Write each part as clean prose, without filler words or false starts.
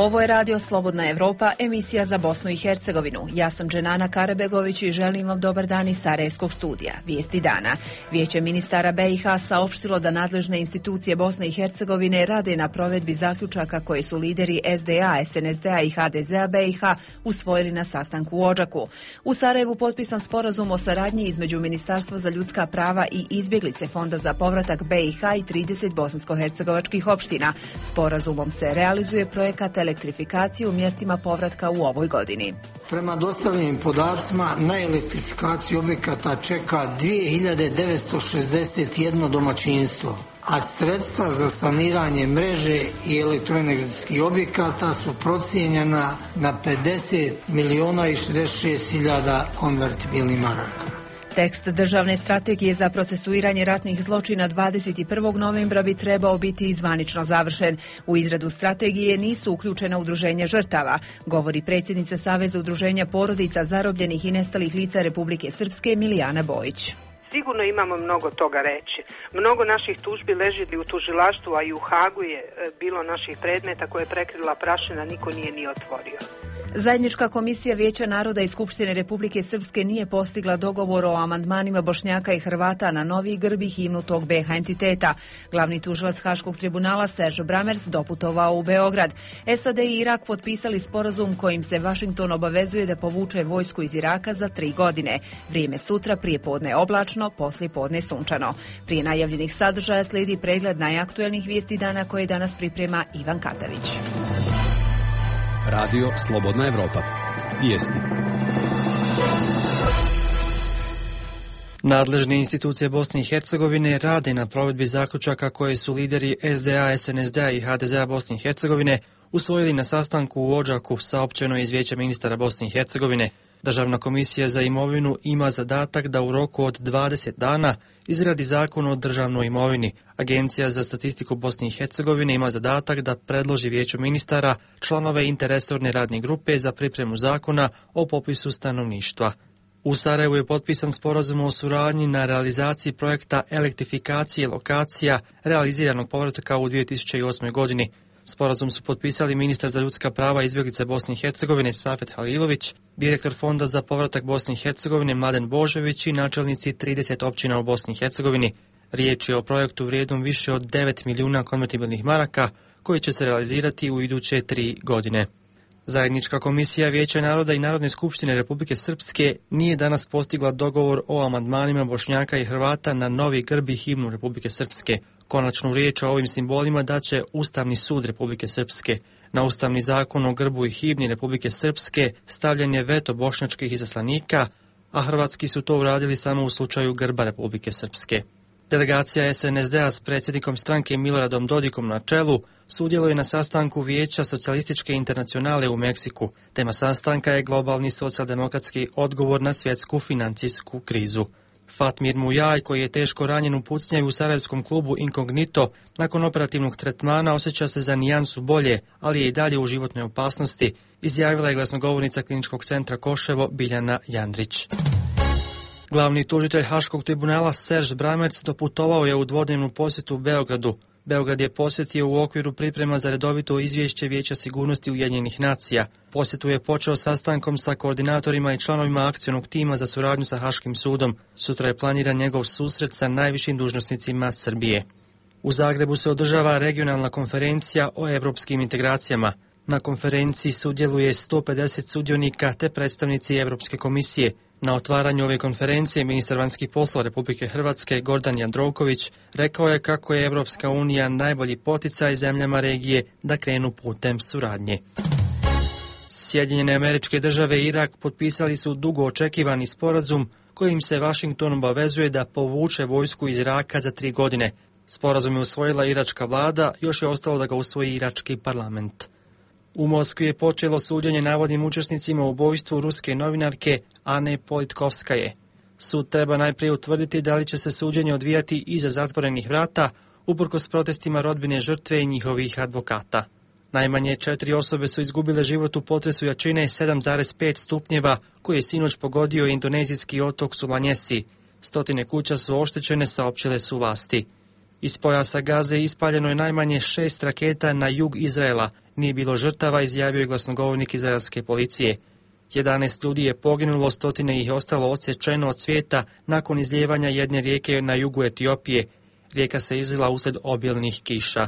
Ovo je Radio Slobodna Evropa, emisija za Bosnu i Hercegovinu. Ja sam Dženana Karabegović i želim vam dobar dan iz Sarajevskog studija. Vijesti dana. Vijeće ministara BiH saopštilo da nadležne institucije Bosne i Hercegovine rade na provedbi zaključaka koje su lideri SDA, SNSD-a i HDZ-a BiH usvojili na sastanku u Odžaku. U Sarajevu potpisan sporazum o saradnji između Ministarstva za ljudska prava i izbjeglice Fonda za povratak BiH i 30 bosansko-hercegovačkih opština. Sporazumom se realizuje projekat elektrifikacije u mjestima povratka u ovoj godini. Prema dostavljenim podacima na elektrifikaciju objekata čeka 2961 domaćinstvo, a sredstva za saniranje mreže i elektroenergetskih objekata su procijenjena na 50 milijuna i 66 hiljada konvertibilnih maraka. Tekst državne strategije za procesuiranje ratnih zločina 21. novembra bi trebao biti i zvanično završen. U izradu strategije nisu uključena udruženja žrtava, govori predsjednica Saveza udruženja porodica zarobljenih i nestalih lica Republike Srpske Milijana Bojić. Sigurno imamo mnogo toga reći. Mnogo naših tužbi leži u tužilaštvu, a i u Hagu je bilo naših predmeta koje je prekrila prašina, niko nije ni otvorio. Zajednička komisija Vijeća naroda i Skupštine Republike Srpske nije postigla dogovor o amandmanima Bošnjaka i Hrvata na novi grb i himnu tog BiH entiteta. Glavni tužilac Haškog tribunala Serge Brammertz doputovao u Beograd. SAD i Irak potpisali sporazum kojim se Vašington obavezuje da povuče vojsku iz Iraka za 3 godine. Vrijeme sutra, prije podne oblačno, poslije podne sunčano. Prije najavljenih sadržaja slijedi pregled najaktuelnih vijesti dana koje danas priprema Ivan Katavić. Radio Slobodna Evropa. Vijesti. Nadležne institucije Bosne i Hercegovine rade na provedbi zaključaka koje su lideri SDA, SNSD-a i HDZ-a Bosne i Hercegovine usvojili na sastanku u Odžaku, saopćeno iz Vijeća ministara Bosne i Hercegovine. Državna komisija za imovinu ima zadatak da u roku od 20 dana izradi zakon o državnoj imovini. Agencija za statistiku Bosne i Hercegovine ima zadatak da predloži Vijeću ministara članove interresorne radne grupe za pripremu zakona o popisu stanovništva. U Sarajevu je potpisan sporazum o suradnji na realizaciji projekta elektrifikacije lokacija realiziranog povratka u 2008. godini. Sporazum su potpisali ministar za ljudska prava i izbjeglice Bosne i Hercegovine Safet Halilović, direktor Fonda za povratak Bosne i Hercegovine Mladen Božović i načelnici 30 općina u Bosni i Hercegovini. Riječ je o projektu vrijednom više od 9 milijuna konvertibilnih maraka koji će se realizirati u iduće 3 godine. Zajednička komisija Vijeća naroda i Narodne skupštine Republike Srpske nije danas postigla dogovor o amandmanima Bošnjaka i Hrvata na novi grb i himnu Republike Srpske. Konačnu riječ o ovim simbolima daće Ustavni sud Republike Srpske. Na Ustavni zakon o grbu i himni Republike Srpske stavljen je veto bošnjačkih izaslanika, a hrvatski su to uradili samo u slučaju grba Republike Srpske. Delegacija SNSD-a s predsjednikom stranke Miloradom Dodikom na čelu sudjeluje na sastanku Vijeća socijalističke internacionale u Meksiku. Tema sastanka je globalni socijaldemokratski odgovor na svjetsku financijsku krizu. Fatmir Mujaj, koji je teško ranjen u pucnjaju u sarajevskom klubu Incognito, nakon operativnog tretmana osjeća se za nijansu bolje, ali je i dalje u životnoj opasnosti, izjavila je glasnogovornica Kliničkog centra Koševo Biljana Jandrić. Glavni tužitelj Haškog tribunala Serge Brammertz doputovao je u dvodnevnu posjetu u Beogradu. Beograd je posjetio u okviru priprema za redovito izvješće Vijeća sigurnosti Ujedinjenih nacija. Posjetu je počeo sastankom sa koordinatorima i članovima akcionog tima za suradnju sa Haškim sudom. Sutra je planiran njegov susret sa najvišim dužnosnicima Srbije. U Zagrebu se održava regionalna konferencija o europskim integracijama. Na konferenciji sudjeluje 150 sudionika te predstavnici Europske komisije. Na otvaranju ove konferencije ministar vanjskih poslova Republike Hrvatske Gordan Jandroković rekao je kako je Europska unija najbolji poticaj zemljama regije da krenu putem suradnje. Sjedinjene Američke Države i Irak potpisali su dugo očekivani sporazum kojim se Vašington obavezuje da povuče vojsku iz Iraka za 3 godine. Sporazum je usvojila iračka vlada, još je ostalo da ga usvoji irački parlament. U Moskvi je počelo suđenje navodnim učesnicima u ubojstvu ruske novinarke Ane Politkovskaje. Sud treba najprije utvrditi da li će se suđenje odvijati iza zatvorenih vrata, uprkos protestima rodbine žrtve i njihovih advokata. Najmanje 4 osobe su izgubile život u potresu jačine 7,5 stupnjeva koji je sinoć pogodio indonezijski otok Sulawesi. 100 kuća su oštećene, saopćile su vlasti. Iz pojasa Gaze ispaljeno je najmanje 6 raketa na jug Izraela. Nije bilo žrtava, izjavio je glasnogovornik izraelske policije. 11 ljudi je poginulo, stotine ih je ostalo odsječeno od svijeta nakon izlijevanja jedne rijeke na jugu Etiopije. Rijeka se izlila uslijed obilnih kiša.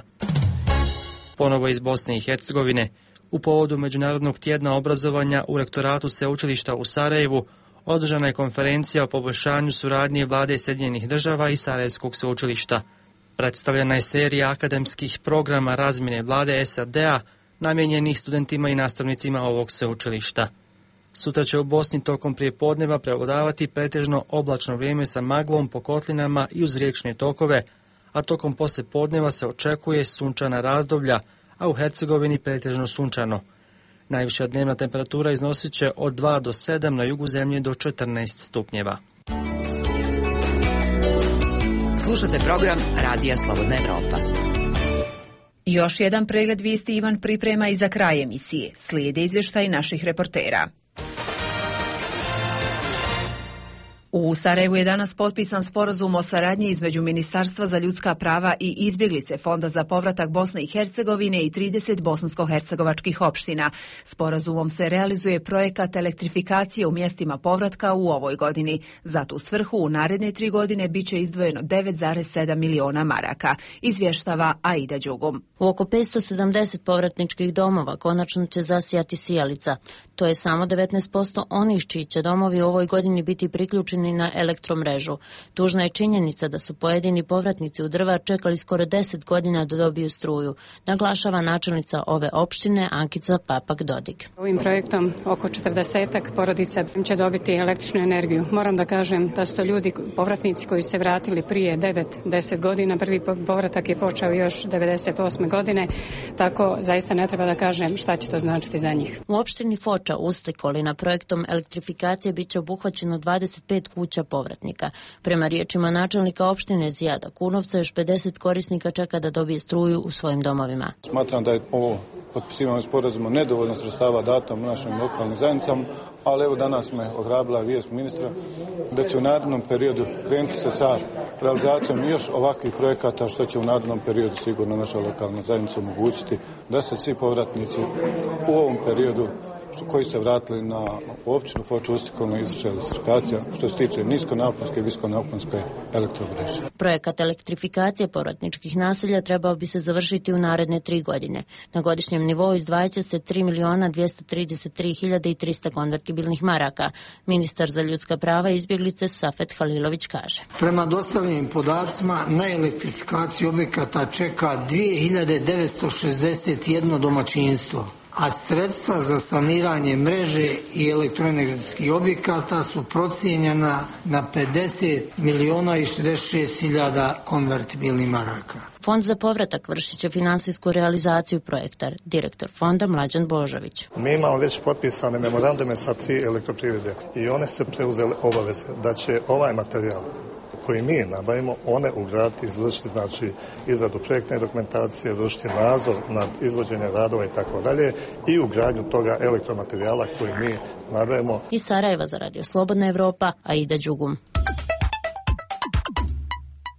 Ponovo iz Bosne i Hercegovine. U povodu Međunarodnog tjedna obrazovanja u rektoratu sveučilišta u Sarajevu održana je konferencija o poboljšanju suradnje vlade Sjedinjenih država i Sarajevskog sveučilišta. Predstavljena je serija akademskih programa razmjene vlade SAD-a namijenjenih studentima i nastavnicima ovog sveučilišta. Sutra će u Bosni tokom prijepodneva prevladavati pretežno oblačno vrijeme sa maglom po kotlinama i uz riječne tokove, a tokom poslijepodneva se očekuje sunčana razdoblja, a u Hercegovini pretežno sunčano. Najviša dnevna temperatura iznosit će od 2 do 7, na jugu zemlje do 14 stupnjeva. Slušate program Radija Slobodna Evropa. Još jedan pregled vijesti Ivan priprema i za kraj emisije. Slijede izvještaj naših reportera. U Sarajevu je danas potpisan sporazum o saradnji između Ministarstva za ljudska prava i izbjeglice, Fonda za povratak Bosne i Hercegovine i 30 bosansko-hercegovačkih opština. Sporazumom se realizuje projekat elektrifikacije u mjestima povratka u ovoj godini. Za tu svrhu u naredne 3 godine bit će izdvojeno 9,7 miliona maraka, izvještava Aida Đugum. U oko 570 povratničkih domova konačno će zasijati sijalica. To je samo 19% onih čiji će domovi u ovoj godini biti priključeni na elektromrežu. Tužna je činjenica da su pojedini povratnici u Drvar čekali skoro 10 godina da dobiju struju, naglašava načelnica ove opštine Ankica Papak-Dodig. Ovim projektom oko 40-ak porodica će dobiti električnu energiju. Moram da kažem da su to ljudi, povratnici koji se vratili prije 9-10 godina. Prvi povratak je počeo još 98. godine, tako zaista ne treba da kažem šta će to značiti za njih. U opštini Foča u Stekolina projektom elektrifikacije bit će obuhvaćeno 25 kuća povratnika. Prema riječima načelnika opštine Zijada Kunovca, još 50 korisnika čeka da dobije struju u svojim domovima. Smatram da je ovo potpisivanje sporazuma nedovoljno sredstava datom našim lokalnim zajednicama, ali evo danas me ohrabrila vijest ministra da će u narednom periodu krenuti se sa realizacijom još ovakvih projekata, što će u narednom periodu sigurno naša lokalna zajednica omogućiti da se svi povratnici u ovom periodu koji se vratili na općinu Foču Ustikovno izvrše elektrifikacija što se tiče niskonaponske i visokonaponske elektromreže. Projekat elektrifikacije povratničkih naselja trebao bi se završiti u naredne 3 godine. Na godišnjem nivou izdvajaće se 3.233.300 konvertibilnih maraka. Ministar za ljudska prava i izbjeglice Safet Halilović kaže. Prema dostavljenim podacima na elektrifikaciju objekata čeka 2961 domaćinstvo, a sredstva za saniranje mreže i elektroenergetskih objekata su procijenjena na 50.066.000 konvertibilnih maraka. Fond za povratak vršit će finansijsku realizaciju projekta, direktor fonda Mlađan Božović. Mi imamo već potpisane memorandume sa 3 elektroprivrede i one se preuzele obaveze da će ovaj materijal koji mi nabavimo, one ugraditi, izvršiti, znači izradu projektne dokumentacije, vršiti nadzor nad izvođenjem radova i tako dalje i ugradnju toga elektromaterijala koji mi nabavimo. Iz Sarajeva za Radio Slobodna Evropa, Aida Đugum.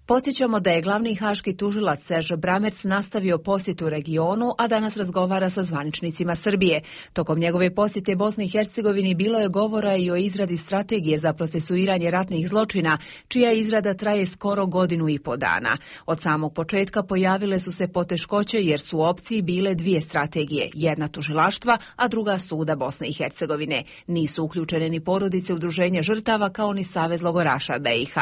Podsjećamo da je glavni haški tužilac Serge Bramerc nastavio posjetu regionu, a danas razgovara sa zvaničnicima Srbije. Tokom njegove posjete Bosni i Hercegovini bilo je govora i o izradi strategije za procesuiranje ratnih zločina, čija izrada traje skoro 1,5 godina. Od samog početka pojavile su se poteškoće jer su u opciji bile 2 strategije, jedna tužilaštva, a druga suda Bosne i Hercegovine. Nisu uključene ni porodice udruženja žrtava kao ni Savez logoraša BiH.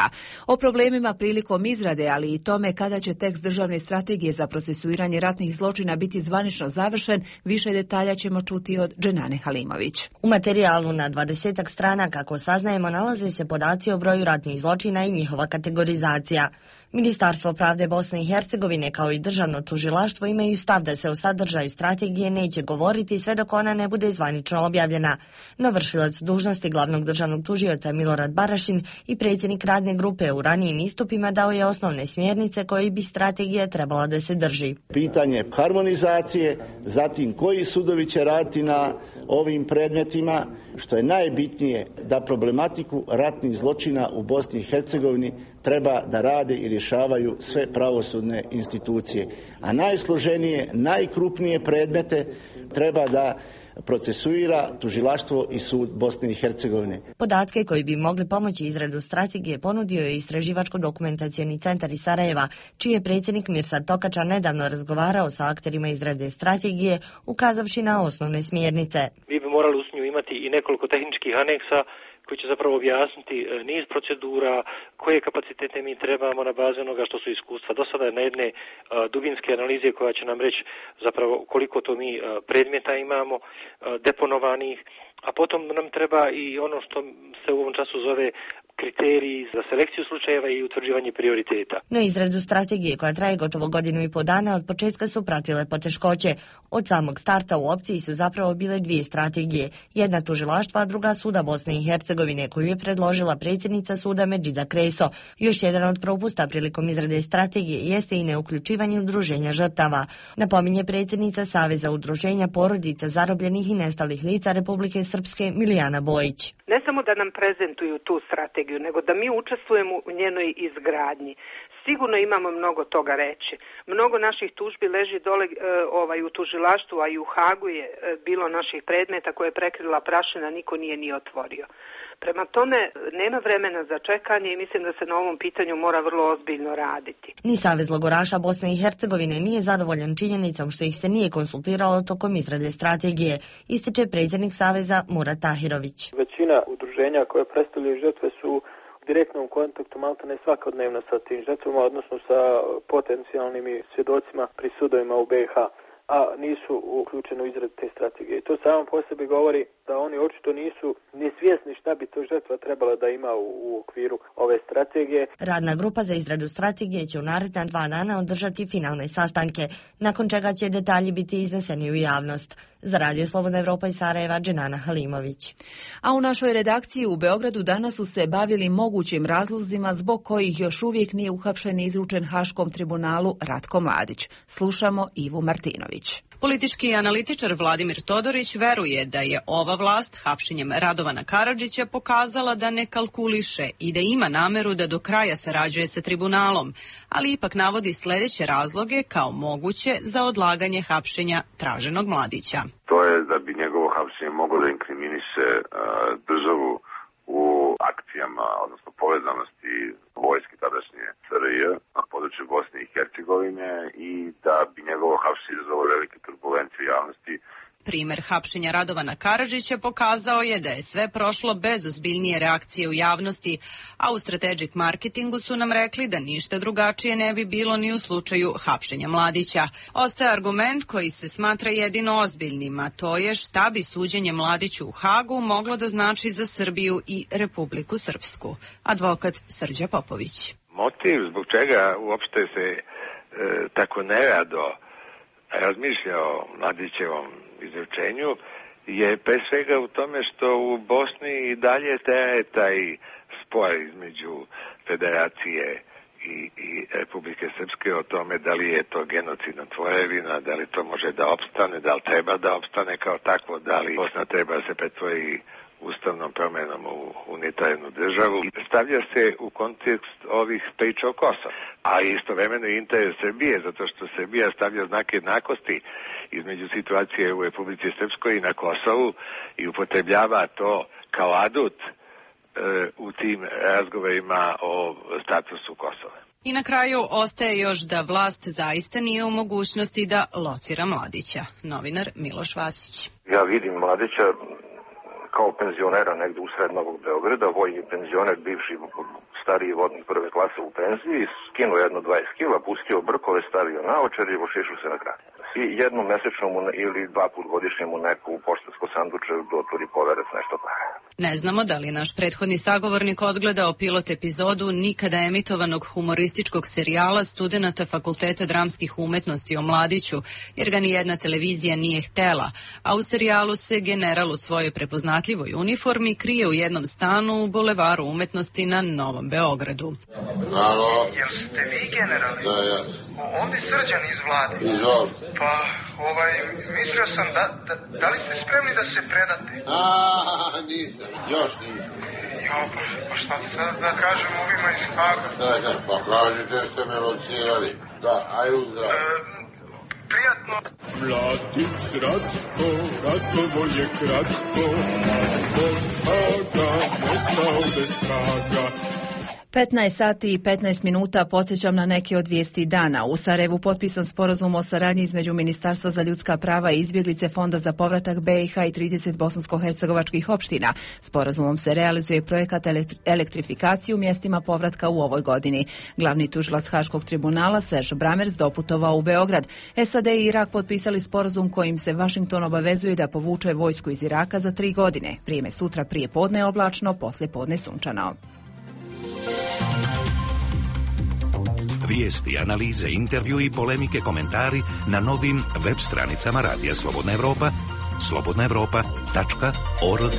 O problemima prilikom izrade, ali i tome kada će tekst državne strategije za procesuiranje ratnih zločina biti zvanično završen, više detalja ćemo čuti od Dženane Halimović. U materijalu na 20 strana, kako saznajemo, nalaze se podaci o broju ratnih zločina i njihova kategorizacija. Ministarstvo pravde Bosne i Hercegovine kao i državno tužilaštvo imaju stav da se o sadržaju strategije neće govoriti sve dok ona ne bude zvanično objavljena. No vršilac dužnosti glavnog državnog tužioca Milorad Barašin i predsjednik radne grupe u ranijim istupima dao je dvije osnovne smjernice koje bi strategija trebala da se drži. Pitanje harmonizacije, zatim koji sudovi će raditi na ovim predmetima, što je najbitnije da problematiku ratnih zločina u Bosni i Hercegovini treba da rade i rješavaju sve pravosudne institucije. A najsloženije, najkrupnije predmete treba da procesuira tužilaštvo i sud Bosne i Hercegovine. Podatke koji bi mogli pomoći izradu strategije ponudio je Istraživačko-dokumentacioni centar iz Sarajeva, čiji je predsjednik Mirsad Tokača nedavno razgovarao sa akterima izrade strategije, ukazavši na osnovne smjernice. Mi bi morali uz nju imati i nekoliko tehničkih aneksa koji će zapravo objasniti niz procedura, koje kapacitete mi trebamo na bazi onoga što su iskustva do sada, na jedne dubinske analize koja će nam reći zapravo koliko to mi predmeta imamo deponovanih, a potom nam treba i ono što se u ovom času zove kriteriji za selekciju slučajeva i utvrđivanje prioriteta. No izradu strategije koja traje gotovo godinu i pol dana od početka su pratile poteškoće. Od samog starta u opciji su zapravo bile dvije strategije. Jedna tužilaštva, a druga suda Bosne i Hercegovine, koju je predložila predsjednica suda Medžida Kreso. Još jedan od propusta prilikom izrade strategije jeste i neuključivanje udruženja žrtava. Napominje predsjednica Saveza udruženja porodica zarobljenih i nestalih lica Republike Srpske Milijana Bojić. Ne samo da nam prezentuju tu strategiju, nego da mi učestvujemo u njenoj izgradnji. Sigurno imamo mnogo toga reći. Mnogo naših tužbi leži dole u tužilaštvu, a i u Hagu je bilo naših predmeta koje je prekrila prašina, niko nije ni otvorio. Prema tome, nema vremena za čekanje i mislim da se na ovom pitanju mora vrlo ozbiljno raditi. Ni Savez logoraša Bosne i Hercegovine nije zadovoljan činjenicom što ih se nije konsultiralo tokom izrade strategije, ističe predsjednik Saveza Murat Tahirović. Većina udruženja koje predstavljaju žrtve su u direktnom kontaktu maltene svakodnevno sa tim žrtvama, odnosno sa potencijalnim svjedocima pri sudovima u BiH, a nisu uključeni u izradu te strategije. I to samo po sebi govori da oni očito nisu ni svjesni šta bi to žrtva trebala da ima u okviru ove strategije. Radna grupa za izradu strategije će u naredna 2 dana održati finalne sastanke, nakon čega će detalji biti izneseni u javnost. Za Radio Slobodna Evropa iz Sarajeva, Dženana Halimović. A u našoj redakciji u Beogradu danas su se bavili mogućim razlozima zbog kojih još uvijek nije uhapšen i izručen Haškom tribunalu Ratko Mladić. Slušamo Ivu Martinović. Politički analitičar Vladimir Todorić veruje da je ova vlast hapšenjem Radovana Karadžića pokazala da ne kalkuliše i da ima nameru da do kraja sarađuje sa tribunalom, ali ipak navodi sljedeće razloge kao moguće za odlaganje hapšenja traženog Mladića. To je da bi njegovo hapšenje moglo da inkriminiše državu u akcijama, odnosno povezanosti vojske tadašnje SRJ na području Bosne i Hercegovine i da bi njegovo hapšenje izazvalo velike turbulencije u javnosti. Primer hapšenja Radovana Karadžića pokazao je da je sve prošlo bez ozbiljnije reakcije u javnosti, a u Strategic Marketingu su nam rekli da ništa drugačije ne bi bilo ni u slučaju hapšenja Mladića. Ostaje argument koji se smatra jedino ozbiljnim, a to je šta bi suđenje Mladiću u Hagu moglo da znači za Srbiju i Republiku Srpsku. Advokat Srđa Popović. Motiv zbog čega uopšte se tako nerado razmišlja o Mladićevom izručenju je pre svega u tome što u Bosni i dalje traje taj spor između Federacije i Republike Srpske o tome da li je to genocidna tvorevina, da li to može da opstane, da li treba da opstane kao takvo, da li Bosna treba da se pretvori ustavnom promjenom u unitarnu državu. Stavlja se u kontekst ovih priča o Kosovu, a istovremeno i interes Srbije, zato što Srbija stavlja znak jednakosti između situacije u Republici Srpskoj i na Kosovu i upotrebljava to kao adut u tim razgovorima o statusu Kosova. I na kraju ostaje još da vlast zaista nije u mogućnosti da locira Mladića. Novinar Miloš Vasić. Ja vidim Mladića kao penzionera negdje u sred Novog Beograda, vojni penzioner, bivši stariji vodnik prve klase u penziji, skinuo jedno 20 kila, pustio brkove, stavio naočar i ošišao se na grad. I jednom mesečno ili 2 put godišnje mu neko u poštansko sanduče otvori poverac nešto para. Ne znamo da li je naš prethodni sagovornik odgledao pilot epizodu nikada emitovanog humorističkog serijala studenata Fakulteta dramskih umetnosti o Mladiću, jer ga nijedna televizija nije htela, a u serijalu se general u svojoj prepoznatljivoj uniformi krije u jednom stanu u Bulevaru umetnosti na Novom Beogradu. Alo? Jel ste vi generali? Da, ja. Ovdje Srđan iz Vlade. Izvoli. Pa, mislio sam da li ste spremni da se predate? Nisam, još nisam. Jo, pa šta da kažem ovima iz Haga? Da, pa kažite ste me locirali. Da, aj uzdrav. Prijatno. Mladić Ratovo je kratko, a zbog Haga nestao bez traga. 15 sati i 15 minuta podsjećam na neke od vijesti dana. U Sarajevu potpisan sporazum o saradnji između Ministarstva za ljudska prava i izbjeglice, Fonda za povratak BiH i 30 bosansko-hercegovačkih opština. Sporazumom se realizuje projekat elektrifikacije u mjestima povratka u ovoj godini. Glavni tužilac Haškog tribunala Serge Brammertz doputovao u Beograd. SAD i Irak potpisali sporazum kojim se Washington obavezuje da povuče vojsku iz Iraka za 3 godine. Vrijeme sutra prije podne oblačno, poslije podne sunčano. Vijesti, analize, intervju i polemike, komentari na novim web stranicama Radija Slobodna Evropa, slobodnaevropa.org.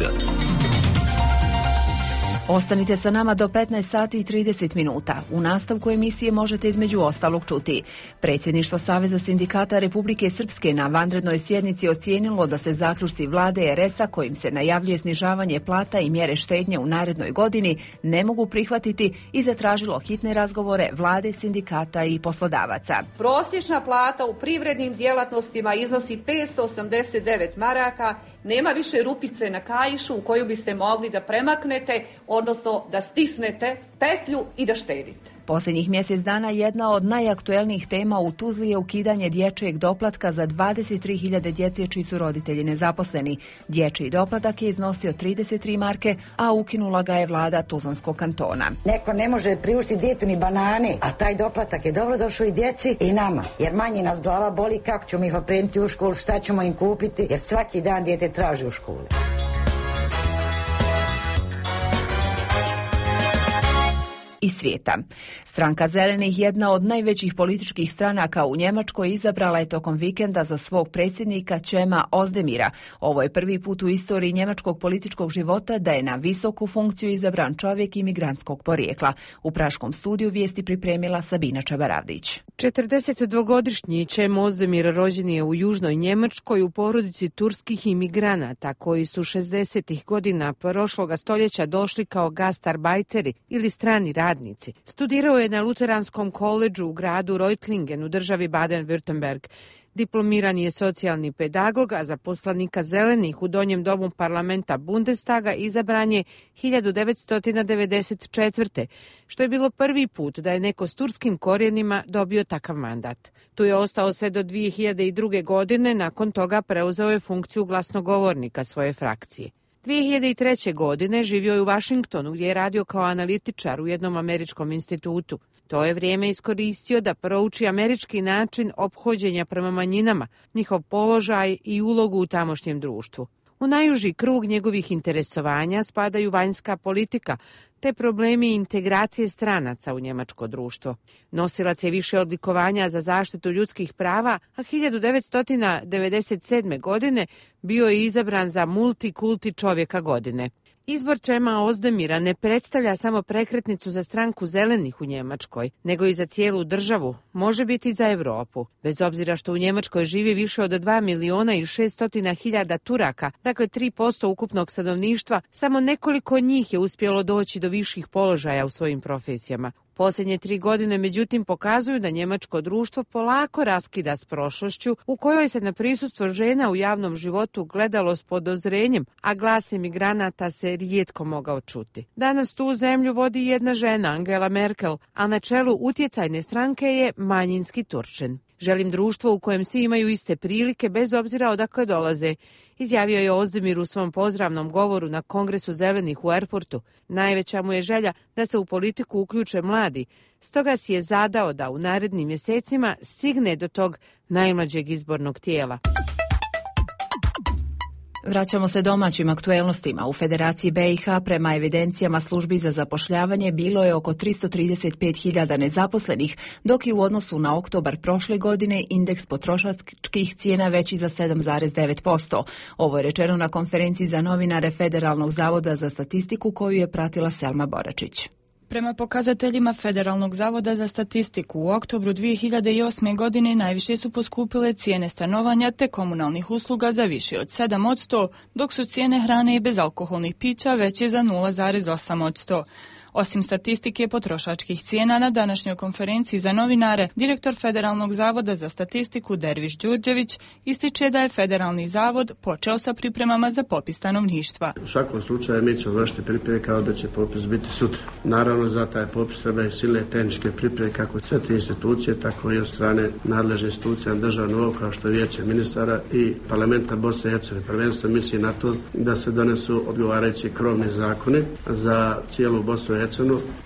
Ostanite sa nama do 15 sati i 30 minuta. U nastavku emisije možete između ostalog čuti. Predsjedništvo Saveza sindikata Republike Srpske na vanrednoj sjednici ocijenilo da se zaključci vlade RS-a kojim se najavljuje snižavanje plata i mjere štednje u narednoj godini ne mogu prihvatiti i zatražilo hitne razgovore vlade, sindikata i poslodavaca. Prosječna plata u privrednim djelatnostima iznosi 589 maraka. Nema više rupice na kaišu u koju biste mogli da premaknete, odnosno da stisnete petlju i da štedite. Posljednjih mjesec dana jedna od najaktuelnijih tema u Tuzli je ukidanje dječjeg doplatka za 23.000 djece čiji su roditelji nezaposleni. Dječji doplatak je iznosio 33 marke, a ukinula ga je vlada Tuzlanskog kantona. Neko ne može priuštiti djetetu ni banane, a taj doplatak je dobro došao i djeci i nama, jer manje nas glava boli kako ćemo ih opremiti u školu, šta ćemo im kupiti, jer svaki dan dijete traži u školu. I svijeta. Stranka Zelenih, jedna od najvećih političkih stranaka u Njemačkoj, izabrala je tokom vikenda za svog predsjednika Cema Özdemira. Ovo je prvi put u istoriji njemačkog političkog života da je na visoku funkciju izabran čovjek imigrantskog porijekla. U Praškom studiju vijesti pripremila Sabina Čabaravdić. 42-godišnji Cem Özdemir rođen je u južnoj Njemačkoj u porodici turskih imigranata koji su 60-ih godina prošloga stoljeća došli kao gastarbajteri ili strani radnici. Studirao je na Luteranskom koledžu u gradu Reutlingen u državi Baden-Württemberg. Diplomirani je socijalni pedagog, a za poslanika Zelenih u donjem domu parlamenta Bundestaga izabran je 1994. što je bilo prvi put da je neko s turskim korijenima dobio takav mandat. Tu je ostao sve do 2002. godine, nakon toga preuzeo je funkciju glasnogovornika svoje frakcije. 2003. godine živio je u Washingtonu gdje je radio kao analitičar u jednom američkom institutu. To je vrijeme iskoristio da prouči američki način ophođenja prema manjinama, njihov položaj i ulogu u tamošnjem društvu. U najuži krug njegovih interesovanja spadaju vanjska politika, te problemi integracije stranaca u njemačko društvo. Nosilac je više odlikovanja za zaštitu ljudskih prava, a 1997. godine bio je izabran za multikulti čovjeka godine. Izbor Cema Özdemira ne predstavlja samo prekretnicu za stranku Zelenih u Njemačkoj, nego i za cijelu državu, može biti i za Europu. Bez obzira što u Njemačkoj živi više od 2.600.000 Turaka, dakle 3% ukupnog stanovništva, samo nekoliko njih je uspjelo doći do viših položaja u svojim profesijama. Posljednje 3 godine, međutim, pokazuju da njemačko društvo polako raskida s prošlošću u kojoj se na prisustvo žena u javnom životu gledalo s podozrenjem, a glas imigranata se rijetko mogao čuti. Danas tu zemlju vodi jedna žena, Angela Merkel, a na čelu utjecajne stranke je manjinski Turčin. Želim društvo u kojem svi imaju iste prilike bez obzira odakle dolaze, izjavio je Özdemir u svom pozdravnom govoru na Kongresu Zelenih u Erfurtu. Najveća mu je želja da se u politiku uključe mladi, stoga si je zadao da u narednim mjesecima stigne do tog najmlađeg izbornog tijela. Vraćamo se domaćim aktuelnostima. U Federaciji BiH prema evidencijama službi za zapošljavanje bilo je oko 335.000 nezaposlenih, dok je u odnosu na oktobar prošle godine indeks potrošačkih cijena veći za 7,9%. Ovo je rečeno na konferenciji za novinare Federalnog zavoda za statistiku koju je pratila Selma Boračić. Prema pokazateljima Federalnog zavoda za statistiku, u oktobru 2008. godine najviše su poskupile cijene stanovanja te komunalnih usluga za više od 7%, dok su cijene hrane i bezalkoholnih pića veće za 0,8%. Osim statistike potrošačkih cijena, na današnjoj konferenciji za novinare, direktor Federalnog zavoda za statistiku Derviš Đurđević ističe da je Federalni zavod počeo sa pripremama za popis stanovništva. U svakom slučaju mi ćemo vršiti pripreme kao da će popis biti sutra. Naravno, za taj popis treba i silne tehničke pripreme kako sve te institucije, tako i od strane nadležne institucije na državnom nivou kao što je Vijeće ministara i Parlamenta Bosne i Hercegovine. Prvenstveno misli na to da se donesu odgovarajući krovni zakoni za cijelu Bosnu i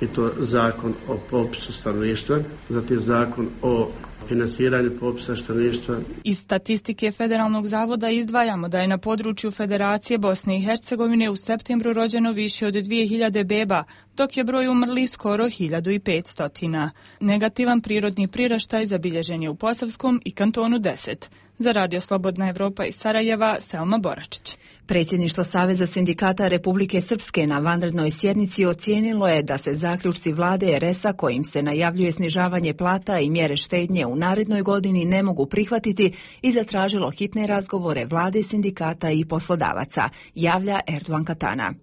i to zakon o popisu stanovništva, zatim zakon o finansiranju popisa stanovništva. Iz statistike Federalnog zavoda izdvajamo da je na području Federacije Bosne i Hercegovine u septembru rođeno više od 2000 beba, dok je broj umrlih skoro 1500. Negativan prirodni priraštaj zabilježen je u Posavskom i kantonu 10. Za Radio Slobodna Evropa iz Sarajeva, Selma Boračić. Predsjedništvo Saveza sindikata Republike Srpske na vanrednoj sjednici ocijenilo je da se zaključci vlade RS-a kojim se najavljuje snižavanje plata i mjere štednje u narednoj godini ne mogu prihvatiti i zatražilo hitne razgovore vlade, sindikata i poslodavaca, javlja Erdogan Katana.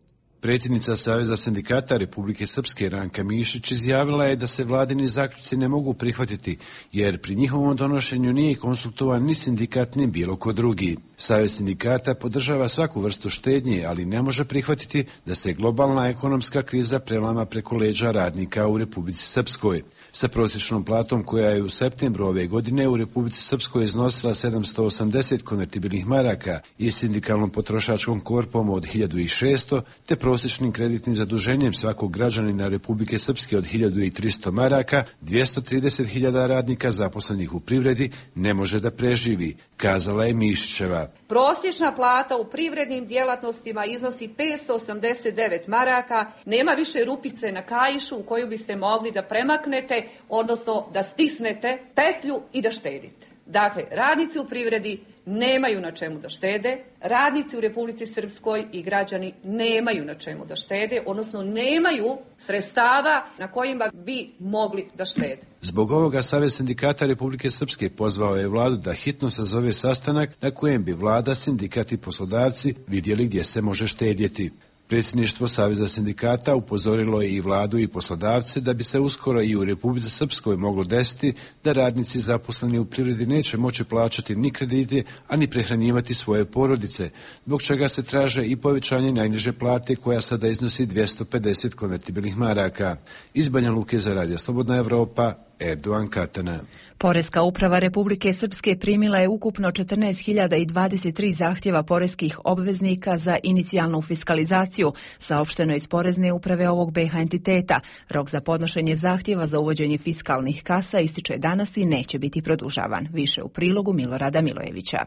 Predsjednica Saveza sindikata Republike Srpske Ranka Mišić izjavila je da se vladini zaključci ne mogu prihvatiti, jer pri njihovom donošenju nije konsultovan ni sindikat ni bilo ko drugi. Savez sindikata podržava svaku vrstu štednje, ali ne može prihvatiti da se globalna ekonomska kriza prelama preko leđa radnika u Republici Srpskoj. Sa prosječnom platom koja je u septembru ove godine u Republici Srpskoj iznosila 780 konvertibilnih maraka i sindikalnom potrošačkom korpom od 1600, te prosječnim kreditnim zaduženjem svakog građanina Republike Srpske od 1300 maraka, 230.000 radnika zaposlenih u privredi ne može da preživi, kazala je Mišićeva. Prosječna plata u privrednim djelatnostima iznosi 589 maraka, nema više rupice na kaišu u koju biste mogli da premaknete, odnosno da stisnete petlju i da štedite. Dakle, radnici u privredi nemaju na čemu da štede, radnici u Republici Srpskoj i građani nemaju na čemu da štede, odnosno nemaju sredstava na kojima bi mogli da štede. Zbog ovoga Savez sindikata Republike Srpske pozvao je vladu da hitno sazove sastanak na kojem bi vlada, sindikat i poslodavci vidjeli gdje se može štedjeti. Predsjedništvo Saveza sindikata upozorilo je i vladu i poslodavce da bi se uskoro i u Republici Srpskoj moglo desiti da radnici zaposleni u privredi neće moći plaćati ni kredite, a ni prehranjivati svoje porodice, zbog čega se traže i povećanje najniže plate koja sada iznosi 250 konvertibilnih maraka. Iz Banja Luke za Radio Slobodna Evropa, Erdogan Katana. Poreska uprava Republike Srpske primila je ukupno 14.023 zahtjeva poreskih obveznika za inicijalnu fiskalizaciju, saopšteno iz Porezne uprave ovog BiH entiteta. Rok za podnošenje zahtjeva za uvođenje fiskalnih kasa ističe danas i neće biti produžavan. Više u prilogu Milorada Milojevića.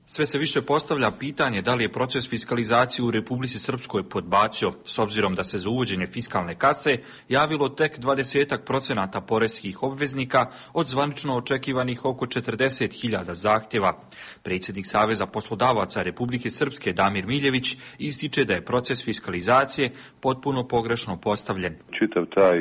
Sve se više postavlja pitanje da li je proces fiskalizacije u Republici Srpskoj podbacio, s obzirom da se za uvođenje fiskalne kase javilo tek 20% poreskih obveznika od zvanično očekivanih oko 40.000 zahtjeva. Predsjednik Saveza poslodavaca Republike Srpske Damir Miljević ističe da je proces fiskalizacije potpuno pogrešno postavljen. Čitav taj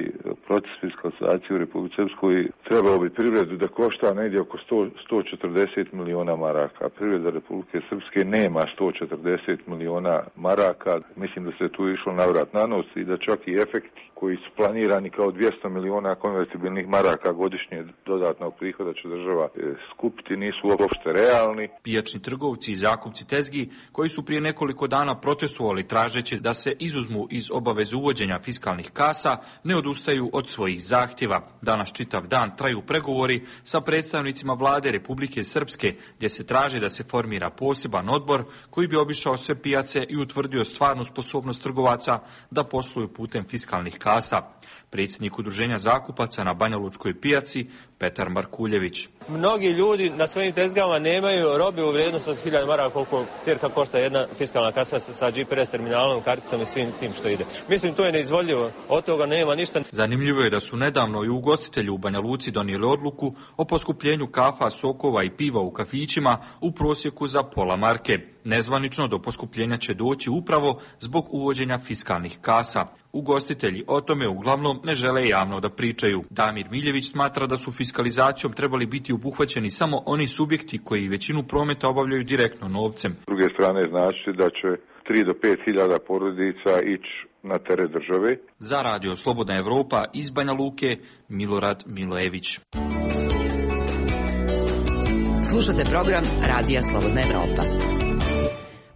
proces fiskalizacije u Republici Srpskoj trebao bi privredu da košta negdje oko 140 miliona maraka. Privreda Republike Srpske nema 140 miliona maraka. Mislim da se tu išlo navrat na nos i da čak i efekti koji su planirani kao 200 miliona konvertibilnih maraka godišnje dodatnog prihoda će država skupiti nisu uopšte realni. Pijačni trgovci i zakupci tezgi koji su prije nekoliko dana protestovali tražeći da se izuzmu iz obaveze uvođenja fiskalnih kasa ne odustaju od svojih zahtjeva. Danas čitav dan traju pregovori sa predstavnicima vlade Republike Srpske gdje se traži da se formira poseban odbor koji bi obišao sve pijace i utvrdio stvarnu sposobnost trgovaca da posluju putem fiskalnih kasa. Predsjednik udruženja zakupaca na Banja Lučkoj pijaci Petar Markuljević. Mnogi ljudi na svojim tezgama nemaju robe u vrijednosti od 1000 maraka koliko cirka košta jedna fiskalna kasa sa GPS terminalom, karticom i svim tim što ide. Mislim, to je neizvodljivo, od toga nema ništa. Zanimljivo je da su nedavno i ugostitelji u Banja Luci donijeli odluku o poskupljenju kafa, sokova i piva u kafićima u prosjeku za pola marke. Nezvanično do poskupljenja će doći upravo zbog uvođenja fiskalnih kasa. Ugostitelji o tome uglavnom ne žele javno da pričaju. Damir Miljević smatra da su fiskalizacijom trebali biti obuhvaćeni samo oni subjekti koji većinu prometa obavljaju direktno novcem. S druge strane znači da će 3 do 5 hiljada porodica ići na teret države. Za Radio Slobodna Evropa iz Banja Luke, Milorad Milojević. Slušate program Radija Slobodna Evropa.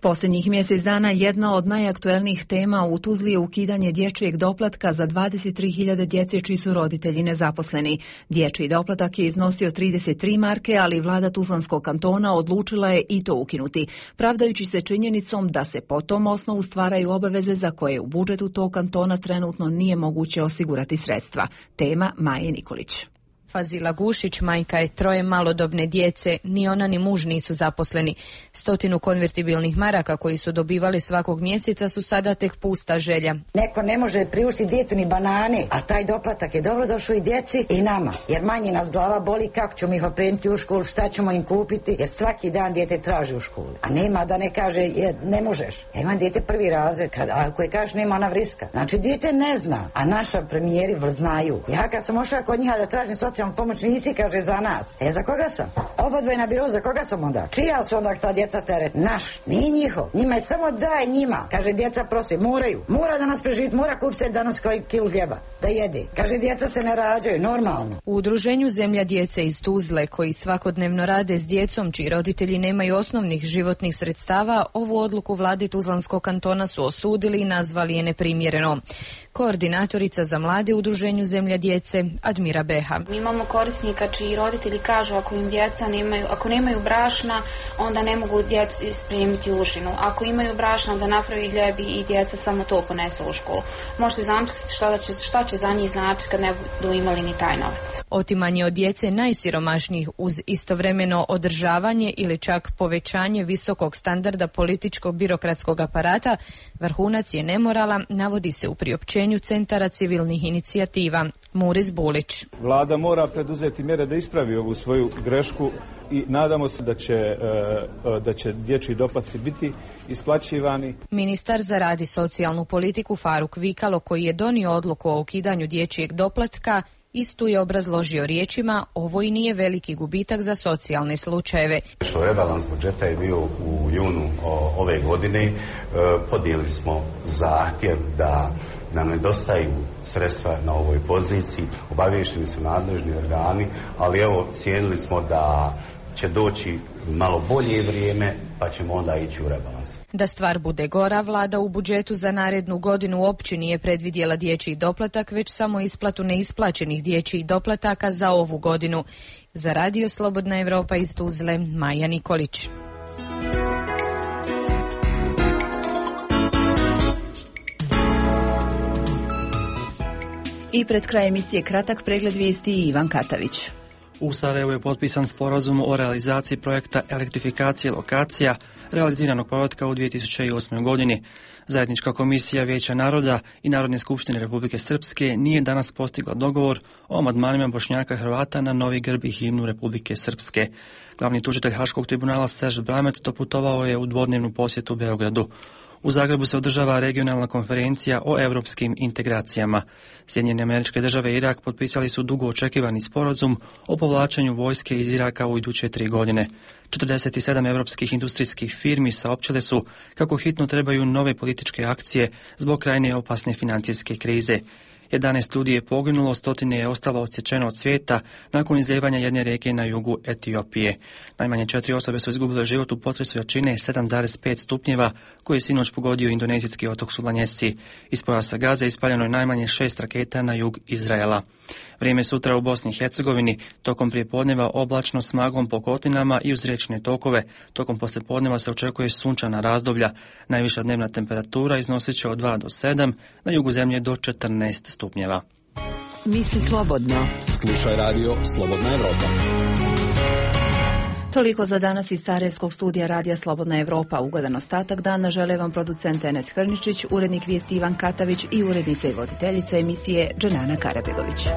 Posljednjih mjesec dana jedna od najaktuelnijih tema u Tuzli je ukidanje dječjeg doplatka za 23.000 djece čiji su roditelji nezaposleni. Dječji doplatak je iznosio 33 marke, ali vlada Tuzlanskog kantona odlučila je i to ukinuti, pravdajući se činjenicom da se po tom osnovu stvaraju obaveze za koje u budžetu tog kantona trenutno nije moguće osigurati sredstva. Tema Maje Nikolić. Fazila Gušić, majka je 3 malodobne djece, ni ona ni muž nisu zaposleni. 100 konvertibilnih maraka koji su dobivali svakog mjeseca su sada tek pusta želja. Neko ne može priuštiti djetu ni banane, a taj doplatak je dobro došao i djeci i nama, jer manje nas glava boli kako ćemo ih opremiti u školu, šta ćemo im kupiti, jer svaki dan dijete traži u školu. A nema da ne kaže ne možeš. Ja imam dijete 1. razred, ako je kažeš nema ona vriska. Znači dijete ne zna, a naša premijeri znaju. Ja kad sam ošla kod njih da tražim socijalnu pomoć, nisi, kaže, za nas. Za koga sam? Obadvoje na biro, za koga sam onda? Čija su onda ta djeca teret? Naš, nije njihov. Njima je samo daj njima. Kaže, djeca prosi, moraju. Mora danas preživiti, mora kupiti se danas kilu hljeba da jede. Kaže, djeca se ne rađaju, normalno. U udruženju Zemlja djece iz Tuzle, koji svakodnevno rade s djecom čiji roditelji nemaju osnovnih životnih sredstava, ovu odluku vlade Tuzlanskog kantona su osudili i nazvali je neprimjerenom. Koordinatorica za mlade u udruženju Zemlja djece, Admira Beha. Imamo korisnika čiji roditelji kažu ako im djeca ako nemaju brašna, onda ne mogu djecu spremiti u užinu. Ako imaju brašna, onda napravi ljebi i djeca samo to ponesu u školu. Možete zamisliti šta će za njih znači kad ne budu imali ni taj novac. Otimanje od djece najsiromašnijih uz istovremeno održavanje ili čak povećanje visokog standarda političkog birokratskog aparata vrhunac je nemorala, navodi se u priopćenju Centara civilnih inicijativa. Muris Bulić. Vlada mora preduzeti mjere da ispravi ovu svoju grešku i nadamo se da će dječji doplatci biti isplaćivani. Ministar za rad i socijalnu politiku Faruk Vikalo, koji je donio odluku o ukidanju dječjeg doplatka, istu je obrazložio riječima: ovo i nije veliki gubitak za socijalne slučajeve. Što rebalans budžeta je bio u junu ove godine, podijeli smo zahtjev da nam nedostaju sredstva na ovoj poziciji, obavješteni su nadležni organi, ali evo cijenili smo da će doći malo bolje vrijeme pa ćemo onda ići u rebalans. Da stvar bude gora, vlada u budžetu za narednu godinu uopće nije predvidjela dječji doplatak, već samo isplatu neisplaćenih dječjih doplataka za ovu godinu. Za Radio Slobodna Evropa iz Tuzle, Maja Nikolić. I pred kraj emisije kratak pregled vijesti i Ivan Katavić. U Sarajevu je potpisan sporazum o realizaciji projekta elektrifikacije lokacija realiziranog projekta u 2008. godini. Zajednička komisija Vijeća naroda i Narodne skupštine Republike Srpske nije danas postigla dogovor o amandmanima Bošnjaka i Hrvata na novi grb i himnu Republike Srpske. Glavni tužitelj Haškog tribunala Serž Bramec doputovao je u dvodnevnu posjetu Beogradu. U Zagrebu se održava regionalna konferencija o europskim integracijama. Sjedinjene Američke Države i Irak potpisali su dugo očekivani sporazum o povlačenju vojske iz Iraka u iduće 3 godine. 47 europskih industrijskih firmi saopćile su kako hitno trebaju nove političke akcije zbog krajnje opasne financijske krize. 11 ljudi je poginulo, 100 je ostalo odsječeno od svijeta nakon izlijevanja jedne rijeke na jugu Etiopije. Najmanje 4 osobe su izgubile život u potresu jačine 7,5 stupnjeva koji je sinoć pogodio indonezijski otok Sulawesi. Iz pojasa Gaze ispaljeno je najmanje 6 raketa na jug Izraela. Vrijeme sutra u Bosni i Hercegovini, tokom prijepodneva oblačno s maglom po kotlinama i uz riječne tokove. Tokom poslijepodneva se očekuje sunčana razdoblja. Najviša dnevna temperatura iznosit će od 2 do 7, na jugu zemlje do 14 stupnjeva. Misli slobodno. Slušaj radio Slobodna Evropa. Toliko za danas iz Sarajevskog studija Radija Slobodna Evropa. Ugodan ostatak dana žele vam producent Enes Hrničić, urednik vijesti Ivan Katavić i urednica i voditeljica emisije Dženana Karabegović.